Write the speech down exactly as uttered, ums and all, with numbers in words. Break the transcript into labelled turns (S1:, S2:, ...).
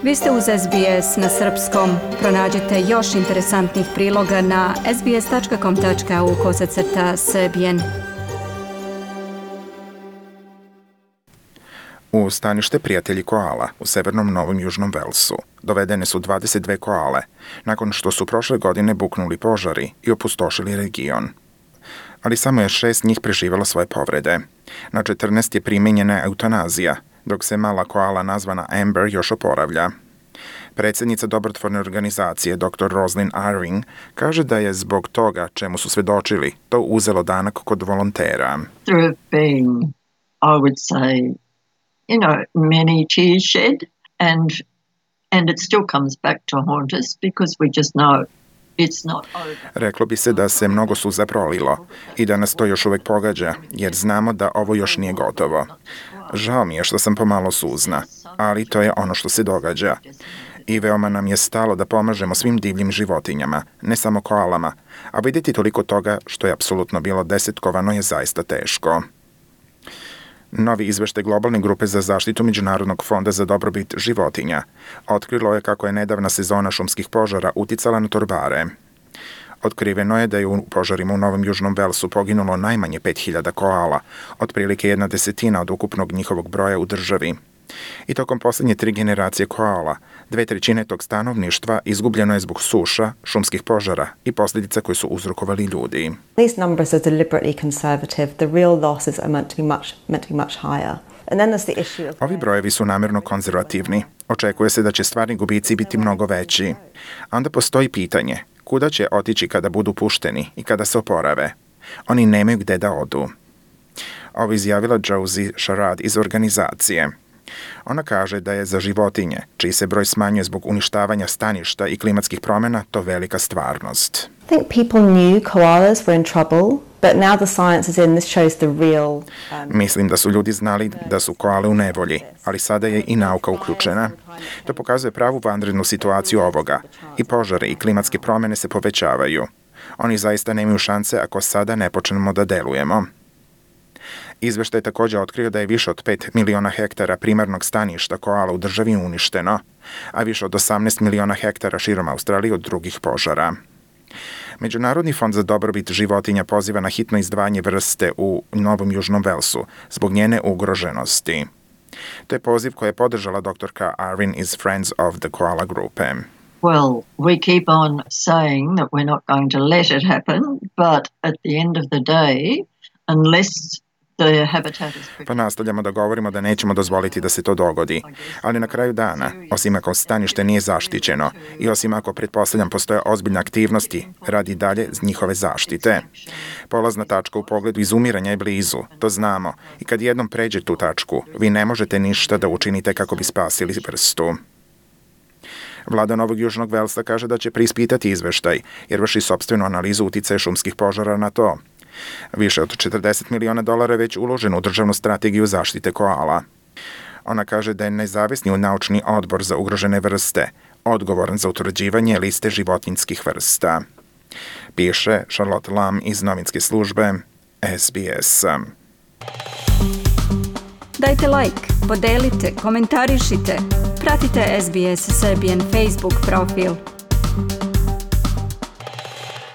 S1: Vi ste uz S B S na srpskom. Pronađite još interesantnih priloga na sbs.com.au kosacrta srbijen.
S2: U stanište Prijatelji koala u severnom Novom Južnom Velsu dovedene su dvadeset dve koale nakon što su prošle godine buknuli požari i opustošili region. Ali samo je šest njih preživjelo svoje povrede. Na četrnaest je primenjena eutanazija, dok se mala koala nazvana Amber još oporavlja. Predsjednica dobrotvorne organizacije doktor Roslyn Irving kaže da je zbog toga čemu su svedočili to uzelo danak kod volontera.
S3: There have been, I would say, you know, many tears shed, and and it still comes back to haunt us because we just know it's not over.
S2: Reklo bi se da se mnogo suza prolilo i da nas to još uvijek pogađa, jer znamo da ovo još nije gotovo. Žao mi je što sam pomalo suzna, ali to je ono što se događa. I veoma nam je stalo da pomažemo svim divljim životinjama, ne samo koalama, a vidjeti toliko toga što je apsolutno bilo desetkovano je zaista teško. Novi izveštaj Globalne grupe za zaštitu Međunarodnog fonda za dobrobit životinja otkrilo je kako je nedavna sezona šumskih požara uticala na torbare. Otkriveno je da je u požarima u Novom Južnom Velsu poginulo najmanje pet hiljada koala, otprilike jedna desetina od ukupnog njihovog broja u državi. I tokom posljednje tri generacije koala, dve trećine tog stanovništva izgubljeno je zbog suša, šumskih požara i posljedica koje su uzrokovali ljudi.
S4: These numbers are deliberately conservative. The real losses are meant to be much meant to be much higher. And then there's the issue of
S2: Ovi brojevi su namjerno konzervativni. Očekuje se da će stvarni gubici biti mnogo veći. A onda postoji pitanje, kuda će otići kada budu pušteni i kada se oporave? Oni nemaju gde da odu. Ovo izjavila Josie Sharad iz organizacije. Ona kaže da je za životinje, čiji se broj smanjuje zbog uništavanja staništa i klimatskih promjena, to velika stvarnost.
S4: I think people knew koalas were in trouble, but now the science is in. This shows the real. Um,
S2: Mislim da su ljudi znali da su koale u nevolji, ali sada je i nauka uključena. To pokazuje pravu vanrednu situaciju ovoga. I požare i klimatske promjene se povećavaju. Oni zaista nemaju šanse ako sada ne počnemo da delujemo. Izveštaj je također otkrio da je više od pet miliona hektara primarnog staništa koala u državi uništeno, a više od osamnaest miliona hektara širom Australije od drugih požara. Međunarodni fond za dobrobit životinja poziva na hitno izdvajanje vrste u Novom Južnom Velsu zbog njene ugroženosti. To je poziv koji je podržala doktorka Arvin iz Friends of the Koala grupe.
S3: Well, we keep on saying that we're not going to let it happen, but at the end of the day, unless
S2: Pa nastavljamo da govorimo da nećemo dozvoliti da se to dogodi, ali na kraju dana, osim ako stanište nije zaštićeno i osim ako pretpostavljam postoje ozbiljne aktivnosti, radi dalje njihove zaštite. Polazna tačka u pogledu izumiranja je blizu, to znamo, i kad jednom pređe tu tačku, vi ne možete ništa da učinite kako bi spasili vrstu. Vlada Novog Južnog Velsa kaže da će preispitati izveštaj, jer vrši sopstvenu analizu uticaja šumskih požara na to. Više od četrdeset miliona dolara je već uloženo u državnu strategiju zaštite koala. Ona kaže da je nezavisni naučni odbor za ugrožene vrste odgovoran za utvrđivanje liste životinjskih vrsta. Piše Charlotte Lam iz novinske službe S B S.
S1: Dajte like, podelite, komentarišite, pratite S B S Serbian Facebook profil.